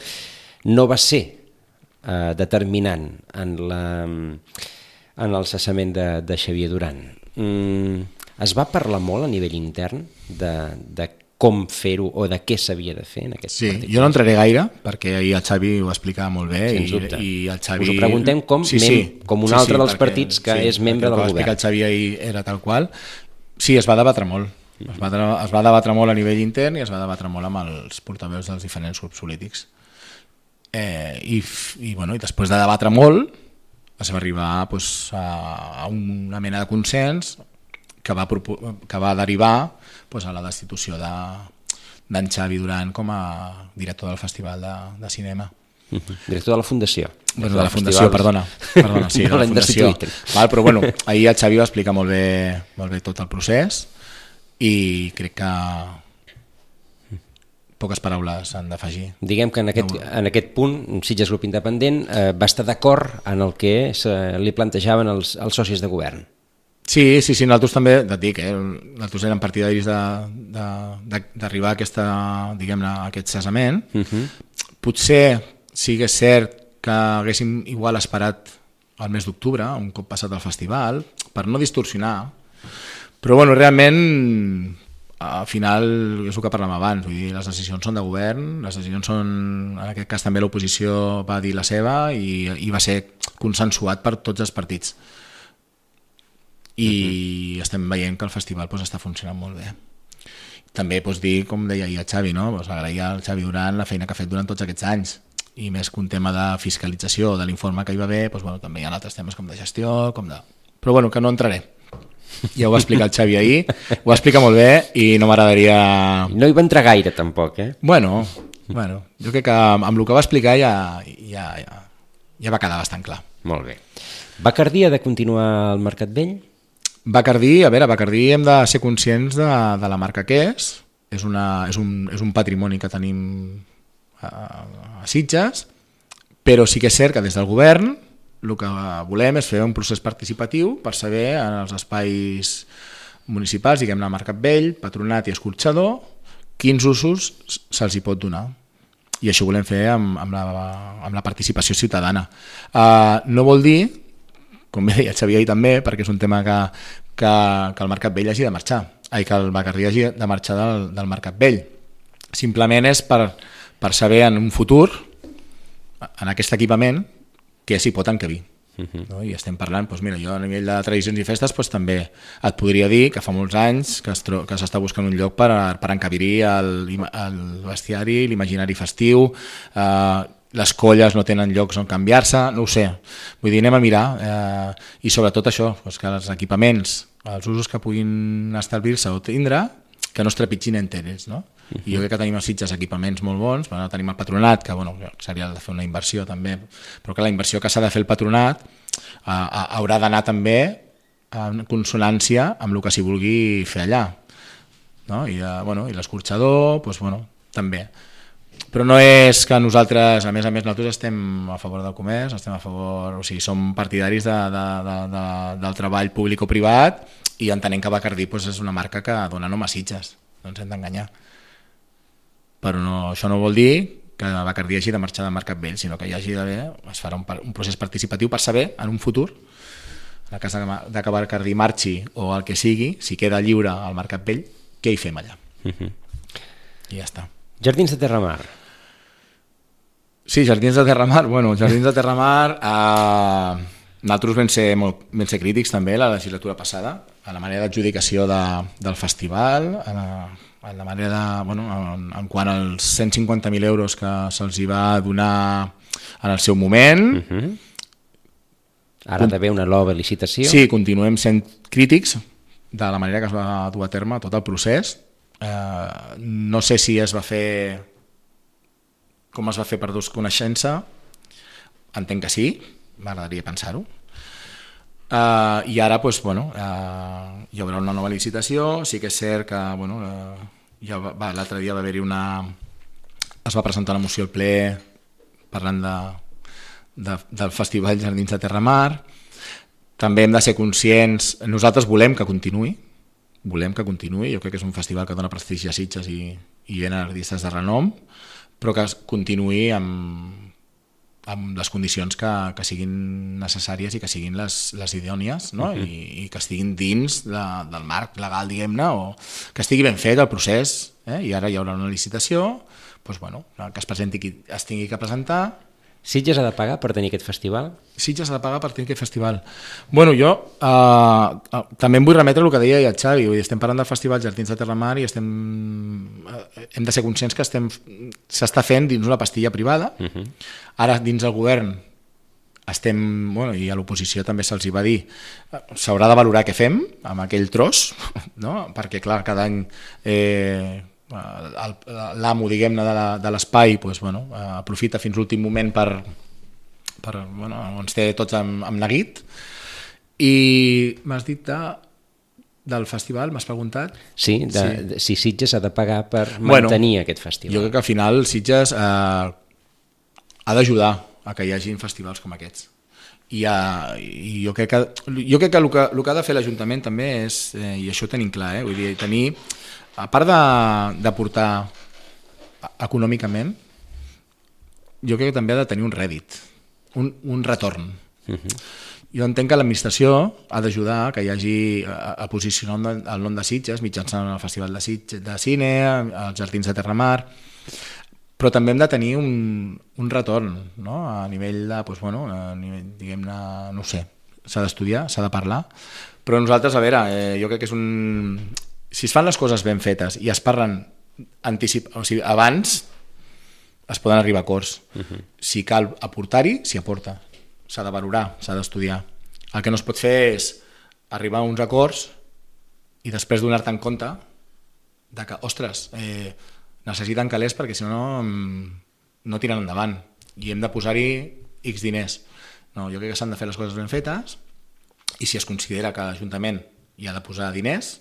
no va ser eh, determinant en, la, en el cessament de, de Xavier Duran. Mm, es va parlar molt a nivell intern de, de com fer-ho o de què s'havia de fer en aquest sí, partit? Jo no entraré gaire, perquè ahir el Xavi ho explicava molt bé. Sens dubte. I, i el Xavi... Us ho preguntem com, sí, sí. mem, com un sí, altre sí, dels perquè, partits que sí, és membre del govern. El que va explicar el Xavi ahir era tal qual. Sí, es va debatre molt. Es va, es va debatre molt a nivell intern i es va debatre molt amb els portaveus dels diferents grups polítics. Eh, i, i, bueno, i després de debatre molt es va arribar pues, a, a una mena de consens que va, que va derivar pues, a la destitució de, d'en Xavi Duran com a director del Festival de, de Cinema. Uh-huh. Director de la Fundació. Bueno, de la Fundació, perdona. perdona sí, no de la Fundació. Val, però bueno, ahir el Xavi va explicar molt bé, molt bé tot el procés i crec que poques paraules han d'afegir. Diguem que en aquest, no, en aquest punt Sitges Grup Independent eh, va estar d'acord en el que se, li plantejaven els, els socis de govern. Sí, sí, sí, nosaltres també, et dic, eh, nosaltres érem partidaris d'arribar a aquesta, diguem-ne, a aquest cessament. Uh-huh. Potser sí que és cert que haguéssim igual esperat el mes d'octubre, un cop passat el festival, per no distorsionar, Però bueno, realment al final és el que parlàvem abans, vull dir, les decisions són de govern, les decisions són, en aquest cas també l'oposició va dir la seva i, i va ser consensuat per tots els partits. I uh-huh. estem veient que el festival pues, està funcionant molt bé. També pots dir, com deia ahir el Xavi, no? Pues agrair al Xavi Duran la feina que ha fet durant tots aquests anys, i més que un tema de fiscalització de l'informe que hi va haver, pues, bueno, també hi ha altres temes com de gestió, com de... però bueno, que no entraré. Ja ho va explicar el Xavi ahir, ho va explicar molt bé i no m'agradaria... No hi va entrar gaire tampoc, eh? Bueno, bueno, jo crec que amb el que va explicar ja, ja, ja, ja va quedar bastant clar. Molt bé. Bacardí ha de continuar al Mercat Vell? Bacardí, a veure, Bacardí hem de ser conscients de, de la marca que és, és, una, és, un, és un patrimoni que tenim a, a Sitges, però sí que és cert que des del govern el que volem és fer un procés participatiu per saber en els espais municipals, diguem-ne Mercat Vell, Patronat i Escorxador, quins usos se'ls hi pot donar. I això ho volem fer amb, amb, la, amb la participació ciutadana. Uh, no vol dir, com bé deia Xavier ahir també, perquè és un tema que, que, que el Mercat Vell hagi de marxar, ai, que el Bacardí hagi de marxar del, del Mercat Vell. Simplement és per, per saber en un futur, en aquest equipament, què s'hi pot encabir. Uh-huh. No? I estem parlant, doncs mira, jo a nivell de tradicions i festes doncs, també et podria dir que fa molts anys que s'està buscant un lloc per, per encabir-hi el, el bestiari, l'imaginari festiu, eh, les colles no tenen llocs on canviar-se, no ho sé. Vull dir, anem a mirar. Eh, I sobretot això, doncs que els equipaments, els usos que puguin establir-se o tindre, que no es trepitgin enteres, no? Uh-huh. I jo crec que tenim a Sitges equipaments molt bons, bueno, tenim el Patronat, que bueno, seria de fer una inversió també, però que la inversió que s'ha de fer el Patronat eh, haurà d'anar també en consonància amb el que s'hi vulgui fer allà. No? I, eh, bueno, i l'escorxador, doncs, bueno, també. Però no és que nosaltres, a més a més, nosaltres estem a favor del comerç, estem a favor, o sigui, som partidaris de, de, de, de, del treball públic o privat i entenem que Bacardí doncs, és una marca que dona nom a Sitges, no ens hem d'enganyar. Però no, això no vol dir que Bacardí hagi de marxar del Mercat Vell, sinó que hi hagi d'haver, es farà un, un procés participatiu per saber, en un futur, en el cas de que Bacardí marxi o el que sigui, si queda lliure al Mercat Vell, què hi fem allà? Uh-huh. I ja està. Jardins de Terramar. Sí, Jardins de Terramar. Bueno, Jardins de Terramar, eh, nosaltres vam ser, molt, vam ser crítics també la legislatura passada, a la manera d'adjudicació de, del festival, a la, a la manera de, bueno, en, en quant als cent cinquanta mil euros que se'ls hi va donar en el seu moment. Uh-huh. Ara ha d'haver una nova licitació. Sí, continuem sent crítics de la manera que es va dur a terme tot el procés. Eh, no sé si es va fer com es va fer per desconeixença, entenc que sí, m'agradaria pensar-ho. Uh, i ara pues, bueno, uh, hi haurà una nova licitació. Sí que és cert que bueno, uh, ja va, va, l'altre dia va haver-hi una es va presentar una moció al ple parlant de, de, del Festival Jardins de Terramar. També hem de ser conscients, nosaltres volem que continuï volem que continuï, jo crec que és un festival que dona prestigi a Sitges i, i venen artistes de renom, però que continuï amb, amb les condicions que, que siguin necessàries i que siguin les, les idònies, no? Uh-huh. I, i que estiguin dins de, del marc legal, diguem-ne, o que estigui ben fet el procés, eh? I ara hi haurà una licitació, doncs, bueno, que es presenti qui es tingui que presentar. Sitges ha de pagar per tenir aquest festival? Sitges ha de pagar per tenir aquest festival. Bueno, jo eh, també em vull remetre el que deia el Xavi, vull dir, estem parlant del Festival Jardins de Terramar i estem, eh, hem de ser conscients que estem s'està fent dins una pastilla privada. Uh-huh. Ara, dins el govern, estem, bueno, i a l'oposició també se'ls hi va dir, s'haurà de valorar què fem amb aquell tros, no? Perquè, clar, cada any... Eh, l'amo, diguem-ne, de l'espai doncs, bueno, aprofita fins l'últim moment per, per bueno, ens té tots amb, amb neguit. I m'has dit de, del festival, m'has preguntat? Sí, de, sí, de, si Sitges ha de pagar per mantenir bueno, aquest festival. Jo crec que al final Sitges eh, ha d'ajudar a que hi hagin festivals com aquests. I, uh, i jo crec que, jo crec que el que el que ha de fer l'Ajuntament també és, eh, i això ho tenim clar, eh, vull dir, tenir, a part d'aportar econòmicament, jo crec que també ha de tenir un rèdit, un, un retorn. Uh-huh. jo entenc que l'administració ha d'ajudar que hi hagi a, a posicionar el nom de Sitges mitjançant el Festival de Sitges de Cine, els Jardins de Terramar, però també hem de tenir un, un retorn, no? A nivell de, doncs, bueno, a nivell, diguem-ne, no ho sé, s'ha d'estudiar, s'ha de parlar, però nosaltres, a veure, eh, jo crec que és un... Si es fan les coses ben fetes i es parlen anticip... o sigui, abans, es poden arribar a acords. Uh-huh. Si cal aportar-hi, s'hi aporta. S'ha de valorar, s'ha d'estudiar. El que no es pot fer és arribar a uns acords i després donar-te en compte de que, ostres, eh, necessiten calés perquè si no no tiren endavant i hem de posar-hi X diners. No, jo crec que s'han de fer les coses ben fetes i si es considera que l'Ajuntament hi ha de posar diners,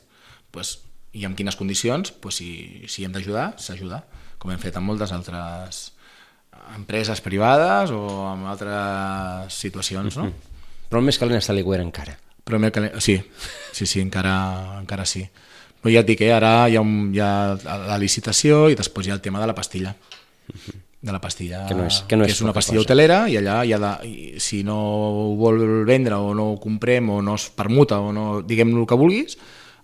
pues, i en quines condicions, pues, si, si hem d'ajudar, s'ajuda, com hem fet en moltes altres empreses privades o en altres situacions, no? Mm-hmm. Però el més calent està a l'Iguera encara. Però el calent... Sí, sí, sí, encara, encara sí. Però ja et dic, eh, ara hi ha, un, hi ha la licitació i després hi ha el tema de la pastilla. Mm-hmm. De la pastilla, que, no és, que, no és, que és una pastilla cosa. Hotelera i allà hi ha de, i si no ho vol vendre o no ho comprem o no es permuta o no, diguem-ne el que vulguis,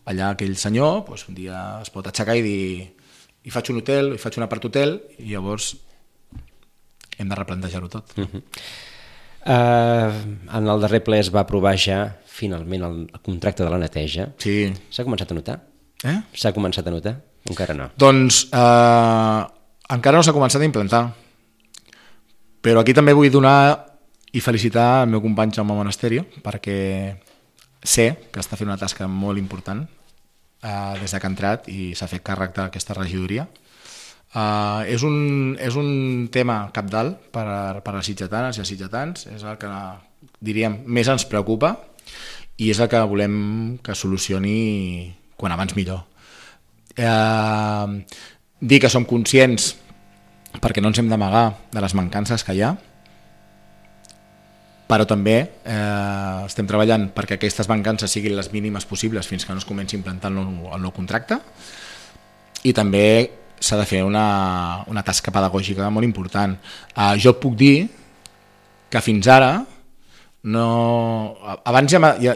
allà aquell senyor doncs, un dia es pot aixecar i dir i faig un hotel, i faig un apart hotel i llavors hem de replantejar-ho tot. Uh-huh. uh, en el darrer ple es va aprovar ja finalment el contracte de la neteja. Sí. S'ha començat a notar? Eh? S'ha començat a notar? Encara no. Doncs eh, encara no s'ha començat a implantar. Però aquí també vull donar i felicitar el meu company Jaume Monasterio perquè sé que està fent una tasca molt important eh, des que ha entrat i s'ha fet càrrec d'aquesta regidoria. Uh, és, un, és un tema cabdal per, per a sitgetanes i a sitgetans, és el que diríem més ens preocupa i és el que volem que solucioni quan abans millor. Uh, dir que som conscients perquè no ens hem d'amagar de les mancances que hi ha, però també eh, estem treballant perquè aquestes mancances siguin les mínimes possibles fins que no es comenci a implantar el nou, el nou contracte i també s'ha de fer una, una tasca pedagògica molt important. Uh, jo puc dir que fins ara no... abans ja, ja,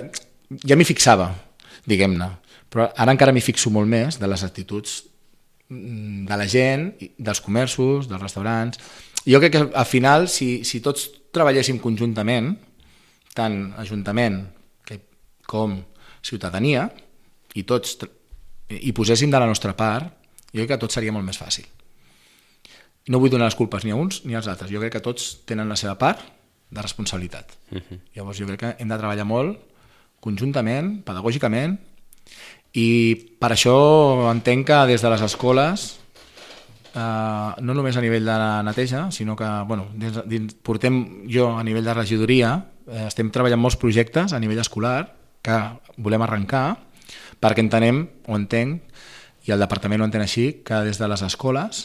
ja m'hi fixava, diguem-ne, però ara encara m'hi fixo molt més de les actituds de la gent, dels comerços, dels restaurants. Jo crec que al final, si, si tots treballéssim conjuntament, tant Ajuntament com ciutadania, i tots hi poséssim de la nostra part, jo crec que tot seria molt més fàcil. No vull donar les culpes ni a uns ni als altres. Jo crec que tots tenen la seva part de responsabilitat. Uh-huh. Llavors jo crec que hem de treballar molt conjuntament, pedagògicament, i per això entenc que des de les escoles, eh, no només a nivell de la neteja, sinó que bueno, dins, dins, portem jo a nivell de regidoria, eh, estem treballant molts projectes a nivell escolar que volem arrencar perquè entenem o entenc i el departament ho entén així, que des de les escoles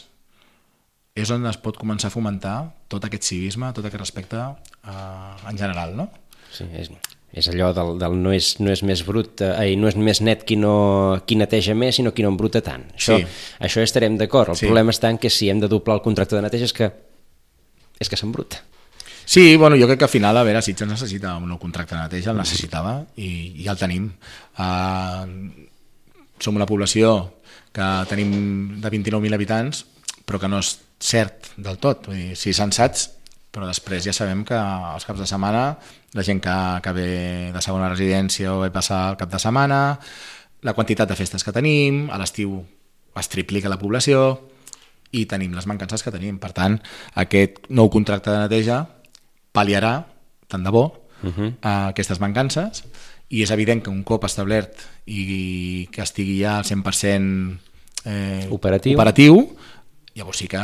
és on es pot començar a fomentar tot aquest civisme, tot aquest respecte eh, en general, no? Sí, és, és allò del, del no, és, no és més brut, eh, no és més net qui, no, qui neteja més, sinó qui no embruta tant. Això, sí. Això estarem d'acord. El sí. problema està en que si hem de doblar el contracte de neteja és que, és que s'embruta. Sí, bueno, jo crec que al final, a veure, Sitges necessita un nou contracte de neteja, el necessitava i, i ja el tenim. Uh, som una població que tenim de vint-i-nou mil habitants, però que no és cert del tot. Vull dir, sí, sensats, però després ja sabem que els caps de setmana, la gent que, que ve de segona residència o ve passar el cap de setmana, la quantitat de festes que tenim, a l'estiu es triplica la població i tenim les mancances que tenim. Per tant, aquest nou contracte de neteja pal·liarà, tant de bo, uh-huh. aquestes mancances. I és evident que un cop establert i que estigui ja al cent per cent eh, operatiu. operatiu, llavors sí que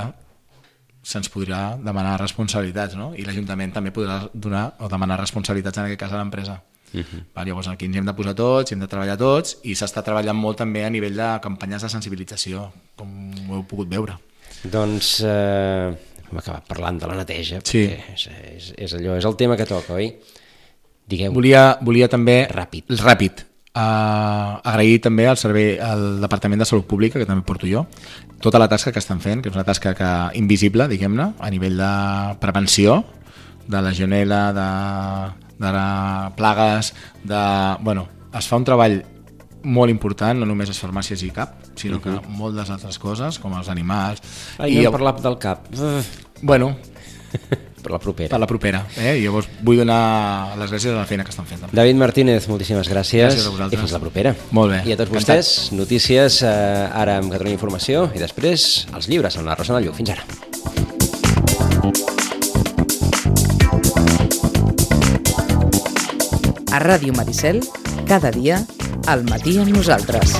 se'ns podrà demanar responsabilitats, no? I l'Ajuntament també podrà donar o demanar responsabilitats, en aquest cas a l'empresa. Uh-huh. Llavors aquí ens hem de posar tots, hem de treballar tots i s'està treballant molt també a nivell de campanyes de sensibilització, com ho heu pogut veure. Doncs eh, hem acabat parlant de la neteja, sí. perquè és, és, és allò, és el tema que toca, oi? Digueu. Volia, volia també... Ràpid. Ràpid. Uh, agrair també al servei al Departament de Salut Pública, que també porto jo, tota la tasca que estan fent, que és una tasca que, invisible, diguem-ne, a nivell de prevenció de la legionel·la, de, de plagues, de... Bueno, es fa un treball molt important, no només les farmàcies i cap, sinó que uh-huh. moltes altres coses, com els animals... Ai, no I... hem parlat del cap. Bueno... Per la propera. Per la propera. Eh? I llavors vull donar les gràcies a la feina que estan fent. També. David Martínez, moltíssimes gràcies. Gràcies a vosaltres. I fins la propera. Molt bé. I a tots vostès, notícies eh, ara amb Catalunya Informació i després els llibres amb la Rosana Lluc. Fins ara. A Ràdio Maricel, cada dia, al matí amb nosaltres.